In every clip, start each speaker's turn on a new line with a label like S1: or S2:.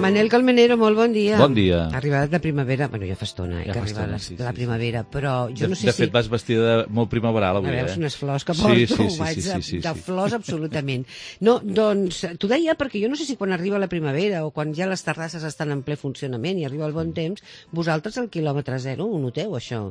S1: Manel Colmenero, molt bon dia.
S2: Bon dia.
S1: Ha arribat la primavera, bueno, ja fa estona, que ha arribat la primavera, però jo no sé si...
S2: De fet, vas vestida molt primaveral avui,
S1: veus unes flors que porto, vaig de flors absolutament. No, doncs, t'ho deia perquè jo no sé si quan arriba la primavera o quan ja les terrasses estan en ple funcionament i arriba el bon temps, vosaltres al quilòmetre zero ho noteu, això?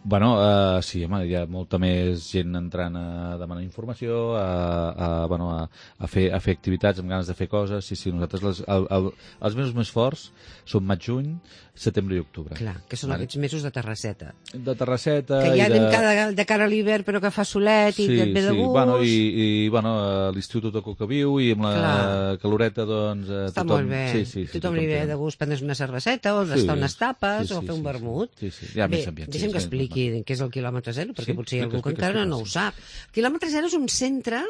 S2: Bueno, sí, home, hi ha molta més gent entrant a demanar informació, a fer activitats, amb ganes de fer coses. Sí, nosaltres els mesos més forts són maig, juny, setembre i octubre.
S1: Clar, que són aquests mesos de terrasseta.
S2: De terrasseta...
S1: Que ja anem de cara a l'hivern però que fa solet i que et ve de gust.
S2: I a l'estiu tot el que viu i amb la caloreta, doncs...
S1: Està molt bé. Tothom li ve de gust prendre's una cerveseta o d'estar unes tapes o fer un vermut. Bé, deixa'm que expliqui què és el quilòmetre zero, perquè potser hi ha algú que encara no ho sap. El quilòmetre zero és un centre,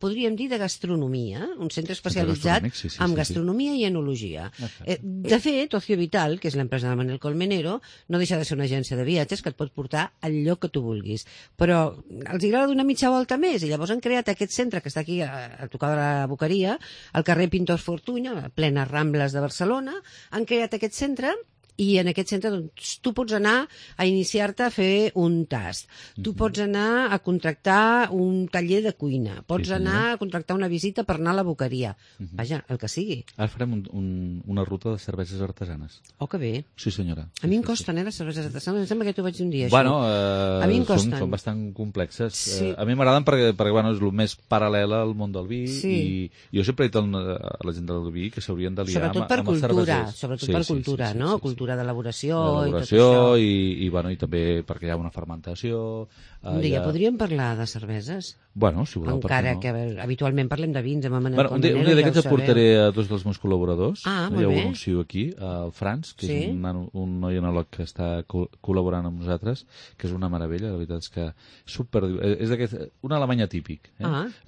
S1: podríem dir, de gastronomia, un centre especialitzat en gastronomia i enologia. De fet, Ocio Vital, que és l'empresa de Manel Colmenero, no deixa de ser una agència de viatges que et pot portar al lloc que tu vulguis. Però els agrada donar mitja volta més, i llavors han creat aquest centre que està aquí a tocar de la Boqueria, al carrer Pintor Fortuny, a plenes Rambles de Barcelona. Han creat aquest centre i en aquest centre doncs, tu pots anar a iniciar-te a fer un tast, tu pots anar a contractar un taller de cuina, pots anar a contractar una visita per anar a la Boqueria. Vaja, el que sigui.
S2: Ara farem una ruta de cerveses artesanes.
S1: Oh, que bé.
S2: Sí, senyora.
S1: A mi em costen, les cerveses artesanes. Em sembla que t'ho vaig dir un dia,
S2: bueno,
S1: això. A mi em costen.
S2: Són bastant complexes. Sí. A mi m'agraden perquè bueno, és el més paral·lel al món del vi i jo sempre he dit a la gent del vi que s'haurien d'aliar amb els cervesers.
S1: Sobretot per cultura, no? Cultura d'elaboració i tot
S2: això. I també perquè hi ha una fermentació.
S1: Un dia podríem parlar de cerveses?
S2: Bueno, si voleu,
S1: encara que habitualment parlem de vins amb Manel
S2: Colmenero. Un dia d'aquests aportaré a dos dels meus col·laboradors. Ja ho anuncio aquí, el Franz, que és un noi enòleg que està col·laborant amb nosaltres, que és una meravella, la veritat és que és un alemany atípic.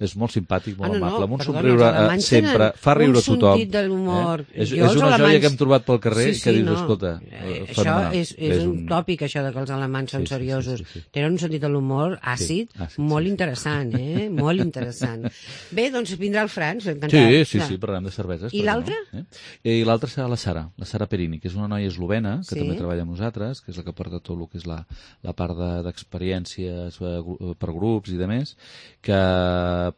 S2: És molt simpàtic, molt amable, amb un somriure sempre, fa riure a tothom.
S1: Un sentit de l'humor.
S2: És una joia que hem trobat pel carrer que dius, escolta,
S1: això és un tòpic, això de que els alemanys són seriosos. Tenen un sentit de l'humor àcid molt interessant, molt interessant. Bé, doncs vindrà el Franz.
S2: Sí, parlarem de cerveses.
S1: I l'altre?
S2: I l'altre serà la Sara Perini, que és una noia eslovena que també treballa amb nosaltres, que és la que porta tot el que és la part d'experiències per grups i de més, que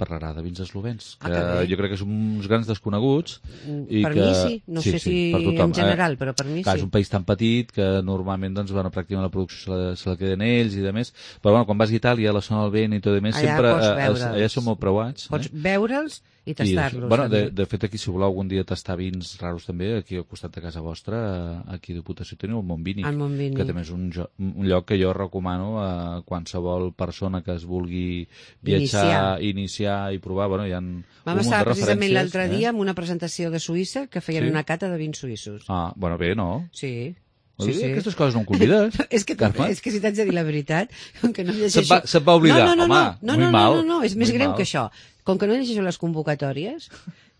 S2: parlarà de vins eslovens, que jo crec que són uns grans desconeguts.
S1: Per mi sí, no sé si en general, però per mi sí.
S2: És un país tan petit que normalment pràcticament la producció se la queden ells i de més, però quan vas a Itàlia, a la zona del vent i tot i més, sempre allà són molt preuats.
S1: Pots veure'ls i tastar-los.
S2: Bueno, de fet, aquí, si voleu algun dia tastar vins raros també, aquí al costat de casa vostra, aquí a Diputació teniu el Montvínic, que també és un lloc que jo recomano a qualsevol persona que es vulgui viatjar, iniciar i provar. Bueno, hi ha un munt de referències.
S1: Vam estar precisament l'altre dia amb una presentació de Suïssa que feien una cata de vins suïssos.
S2: Bueno, bé, no?
S1: Sí.
S2: Aquestes coses no em convides,
S1: Carme? És que si t'haig de dir la veritat, com que no llegeixo...
S2: Se't va oblidar, home, molt mal.
S1: No, és més greu que això. Com que no llegeixo les convocatòries,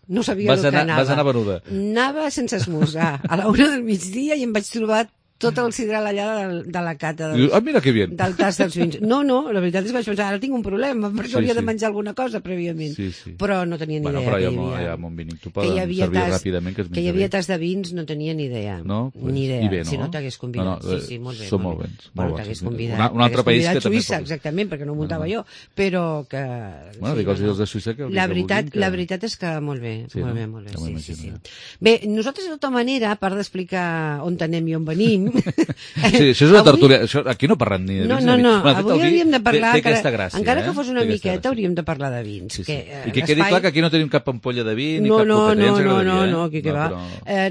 S1: no sabia el que anava.
S2: Vas anar venuda.
S1: Anava sense esmorzar, a la 1 del migdia, i em vaig trobar tot el sidral allà de la cata
S2: mira que bien.
S1: Del tast dels vins. No, la veritat és que vaig pensar, ara tinc un problema, per això hauria de menjar alguna cosa prèviament. Però no tenia ni idea
S2: que hi havia. Però ja Montvínic, tu poden servir ràpidament que es menja bé.
S1: Que hi havia tast de vins, no tenia ni idea.
S2: No?
S1: Ni idea.
S2: Bé, no?
S1: Si no t'hagués convidat. Sí, molt bé.
S2: Són molt bens.
S1: Bueno, t'hagués convidat.
S2: Un altre país que també...
S1: Suïssa, exactament, perquè no ho muntava jo. Però que...
S2: Bueno, dic els de Suïssa que...
S1: La veritat és que molt bé. Molt bé. Bé, nosaltres, de tota manera, a part d'explicar on anem i on venim...
S2: Sí, això és una tertúlia. Aquí no parlem ni de vins.
S1: No. Avui hauríem de parlar... Encara que fos una miqueta, hauríem de parlar de vins.
S2: I que quedi clar que aquí no tenim cap ampolla de vi ni cap
S1: competència. No, aquí que va.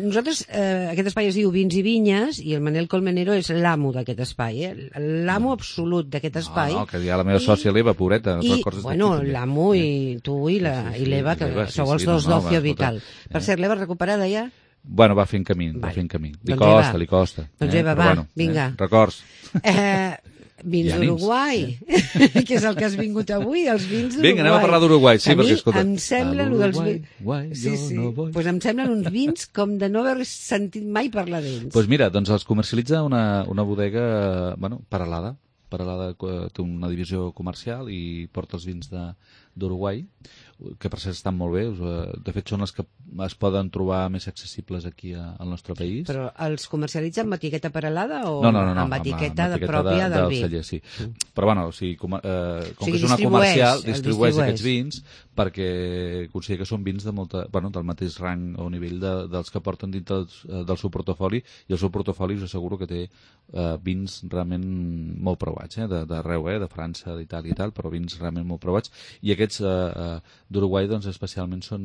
S1: Nosaltres, aquest espai es diu Vins i Vinyes i el Manel Colmenero és l'amo d'aquest espai, l'amo absolut d'aquest espai.
S2: No, que hi ha la meva sòcia l'Eva, pobreta.
S1: Bueno, l'amo i tu i l'Eva, que sou els dos d'Ocio Vital. Per cert, l'Eva recuperada ja?
S2: Bueno, va fent camí, Li costa.
S1: Doncs Eva, va, vinga.
S2: Records.
S1: Vins d'Uruguai, que és el que has vingut avui, els vins d'Uruguai.
S2: Vinga, anem a parlar d'Uruguai, sí, perquè, escolta...
S1: A mi em semblen uns vins com de no haver sentit mai parlar d'ells.
S2: Doncs mira, els comercialitza una bodega, Peralada té una divisió comercial i porta els vins d'Uruguai, que per cert estan molt bé, de fet són les que es poden trobar més accessibles aquí al nostre país.
S1: Però els comercialitza amb etiqueta paral·lada o
S2: no,
S1: amb etiqueta pròpia del vi?
S2: Celler, sí. Però bueno, com que és una comercial, distribueix aquests vins perquè considera que són vins de del mateix rang o nivell dels que porten dintre del seu portafoli, i el seu portafoli us asseguro que té vins realment molt provats, d'arreu, de França, d'Itàlia i tal, però vins realment molt provats, i aquests d'Uruguai doncs especialment són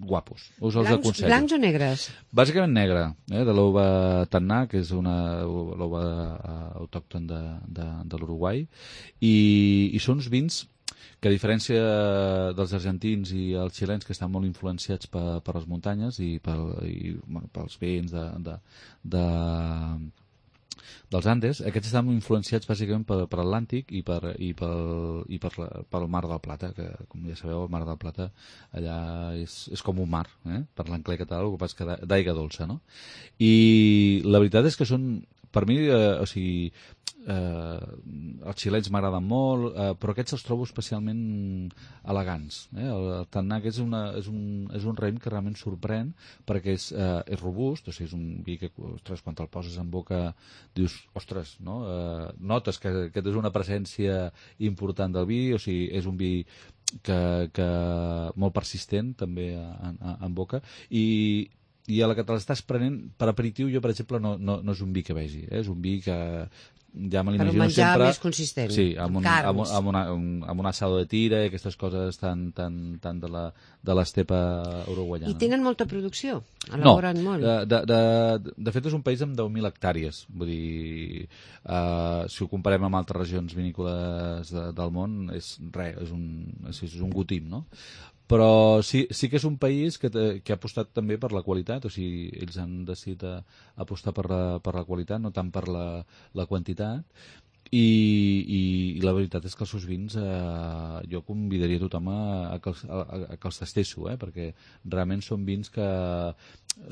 S2: guapos. Us els aconsello.
S1: Blancs o negres?
S2: Bàsicament negre, de l'uva Tanná, que és una l'uva autòcton de l'Uruguai, i són uns vins que, a diferència dels argentins i els xilens, que estan molt influenciats per les muntanyes i pels vents dels Andes, aquests estan influenciats bàsicament per l'Atlàntic i pel Mar del Plata, que, com ja sabeu, el Mar del Plata allà és com un mar, per l'encler català, el que passa que d'aigua dolça, no? I la veritat és que són, per mi, els xilens m'agraden molt, però aquests els trobo especialment elegants. El Tanná és un raïm que realment sorprèn, perquè és robust, o sigui, és un vi que, ostres, quan te'l poses en boca dius, ostres, no? Notes que aquest és una presència important del vi, o sigui, és un vi que molt persistent també en boca, i a la que te l'estàs prenent per aperitiu, jo per exemple no és un vi que vegi, és un vi que ja me l'imagino sempre...
S1: Per un menjar més consistent,
S2: sí,
S1: carns.
S2: amb un asado de tira i aquestes coses tan de l'estepa uruguaiana.
S1: I tenen molta producció? Elaboren molt?
S2: De fet és un país amb 10.000 hectàrees, vull dir, si ho comparem amb altres regions vinícoles del món, és un gotim, no? Però sí que és un país que ha apostat també per la qualitat, o sigui, ells han decidit apostar per la qualitat, no tant per la quantitat, i la veritat és que els seus vins jo convidaria tothom a que els tastesso, perquè realment són vins que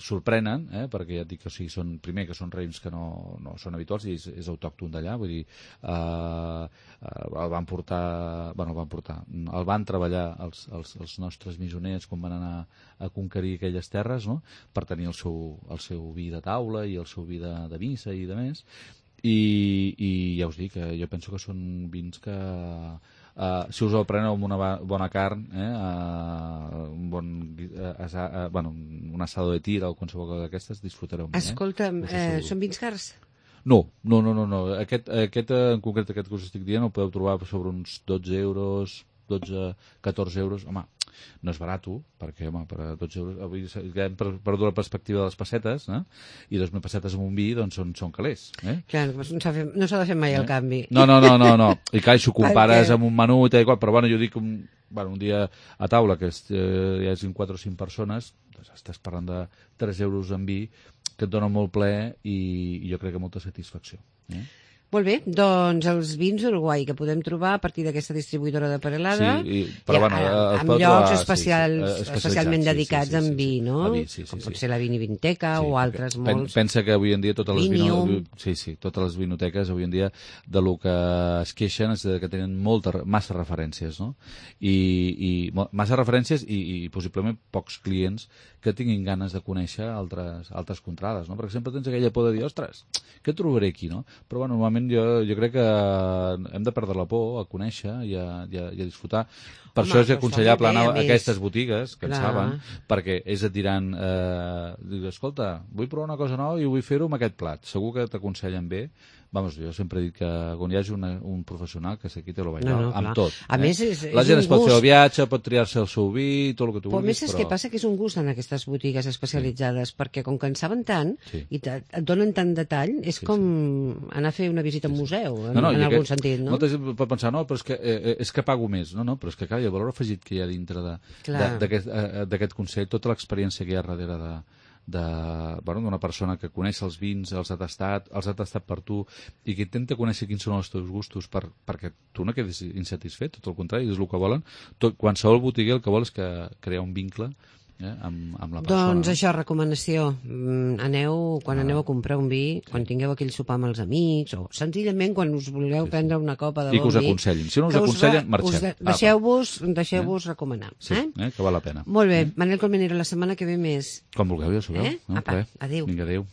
S2: sorprenen, perquè ja et dic que són, primer, que són raïms que no són habituals i és autòcton d'allà, vull dir, el van treballar els nostres missioners quan van anar a conquerir aquelles terres, no?, per tenir el seu vi de taula i el seu vi de missa i de més. I ja us dic, jo penso que són vins que si us el preneu amb una bona carn, un asado de tira o qualsevol cosa d'aquestes, disfrutareu molt.
S1: Escolta'm, són vins cars?
S2: No. Aquest en concret, aquest que us estic dient, el podeu trobar sobre uns 12 euros, 14 euros. Home, no és barat, perquè, per 12 euros, avui hem perdut la perspectiva de les pessetes, i 2.000 pessetes amb un vi, doncs són calés.
S1: Clar, no s'ha de fer mai el canvi.
S2: No. I clar, si ho compares amb un menú i tal, però bueno, jo dic, un dia a taula, que hi hagin 4 o 5 persones, doncs estàs parlant de 3 euros en vi, que et dona molt plaer i jo crec que molta satisfacció.
S1: Molt bé, doncs els vins d'Uruguai que podem trobar a partir d'aquesta distribuïdora de Perelada, amb llocs especialment dedicats en vi, no? Com pot ser la Vinivinteca o altres molts.
S2: Pensa que avui en dia totes les vinoteques avui en dia de lo que es queixen és que tenen massa referències, no? I massa referències i possiblement pocs clients que tinguin ganes de conèixer altres contrades, no? Perquè sempre tens aquella por de dir, ostres, què trobaré aquí, no? Però bueno, normalment jo crec que hem de perdre la por a conèixer i a disfrutar. Per això és aconsellable anar a aquestes botigues, que en saben, perquè ells et diran, escolta, vull provar una cosa nova i vull fer-ho amb aquest plat. Segur que t'aconsellen bé. Vamos, jo sempre he dit que quan hi hagi un professional que s'aquí te lo vaig amb tot.
S1: A més,
S2: la gent es pot fer el viatge, pot triar-se el seu vi, tot el que tu vulguis.
S1: Però a més és que passa que és un gust en aquestes botigues especialitzades, perquè com que en saben tant i et donen tant detall, és com anar a fer una visita a un museu, en algun sentit, no?
S2: Molta gent pot pensar, no, però és que pago més. No, però és que, clar, el valor afegit que hi ha dintre d'aquest consell, tota l'experiència que hi ha darrere d'una persona que coneix els vins, els ha tastat per tu i que intenta conèixer quins són els teus gustos perquè tu no quedis insatisfet, tot el contrari, és el que volen. Qualsevol botiguer el que vol és crear un vincle amb la persona.
S1: Doncs això, recomanació. Quan aneu a comprar un vi, quan tingueu aquell sopar amb els amics, o senzillament quan us vulgueu prendre una copa de bon vi...
S2: I que us aconsellin. Si no us aconsellen, marxem.
S1: Deixeu-vos recomanar.
S2: Sí, que val la pena.
S1: Molt bé. Manel Colmenero, la setmana que ve més.
S2: Quan vulgueu, ja sabeu.
S1: Apa, adéu.
S2: Vinga, adéu.